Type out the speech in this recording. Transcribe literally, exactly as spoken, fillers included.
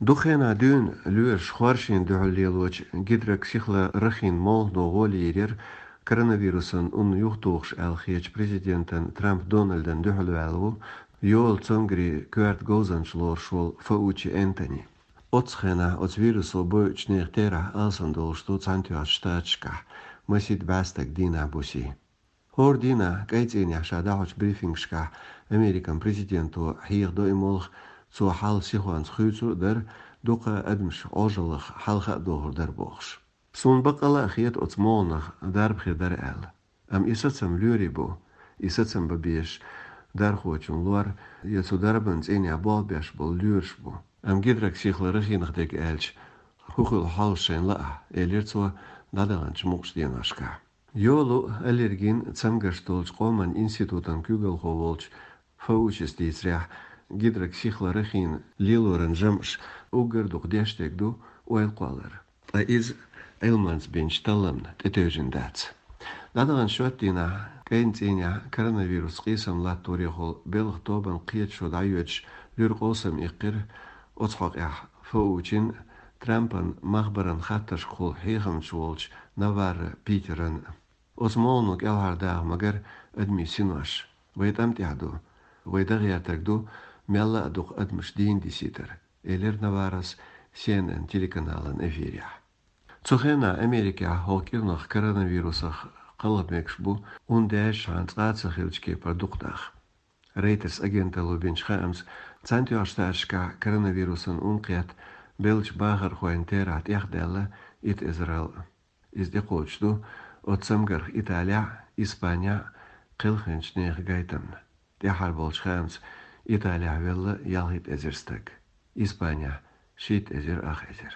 Дукха хенахь дуьйна лоьраша хоршийн дуьхьал лелочу гидроксихлорохин молхано гӀоле йийр яра коронавирусан ун юхатухуш аьлла хетачу президентан Трамп Дональдан дуьхьал ваьлла ву йолу цамгарийн коьрта говзанча лоруш волу Фаучи Энтони. Оццу хенахь оцу вирусо бойучу нехан терахь алсам долуш ду Цхьаьнатоьхначу Штаташкахь масийтта бӀе стаг дийнахь буьсий. ХӀора дийнахь КӀайн цӀийнехь ша дӀахьочу брифингашкахь Американ президенто хьехадо и молха, цо хьал сихонца хуьйцур а дара, дукха адамаш Ӏожаллах хьалха а дохур дара бохуш. Суна баккъалла а хета оцу молханах дарба хир дара аьлла. Амма и сацам лоьрий бу, и сацам бан безаш дархочун лор я цу дарбан цӀийнехь болх беш болу лоьраш бу. Амма гидроксихлорохинах дерг аьлча, хӀун хуьлу хьовса шайна лаахь, элира цо дӀадаханчу мукъачу деношкахь. Йолу, аллергин а цамгарш долчу къоман институтан куьйгалхо волчу Фаучис дийцарехь, гидроксихлорохин лелоран жамӀаш уггар дукха деш дерг ду ойла кхоллар. Ткъа иза Ӏилманца бинчу талламна тӀетевжина дац. ДӀадаханчу шоьтан дийнахь КӀайн цӀийнехь коронавирусца къийсам латторехула белхан тобанан кхеташо дӀайоьдуш луьра къовсам иккхира оцу хьокъехь Фаучин, Трампан махбаран хаттаршкахула хьехамча волчу Наварро Питеран. Оцу молхано кӀелхьардаха магар адамийн синош. Вай тӀам тӀехь ду. Вай дан гӀертарг ду, мелла а дукха адамаш дийна дисийтар, элира Наваррос Си Эн Эн телеканалан эфирехь. Цу хенахь Америкехь хӀокху кӀирнах коронавирусах кхалха мегаш бу, ун даьржичхьана цкъа а ца хиллачу кепара дукха нах. Рейтерс агенталло бинчу хаамца, Цхьаьнатоьхначу Штаташкахь коронавирусан ун кхетта беллачу бахархойн терахь тӀехдаьлла итт эзарал. Иза тӀекхочуш ду оцу цамгарх Италехь а, Испанехь а кхелхинчу нехан гайтамна. ТӀаьххьара болчу хаамца, Италехь велла ялхитта эзар стаг, Испанехь шийтта эзар ах эзар.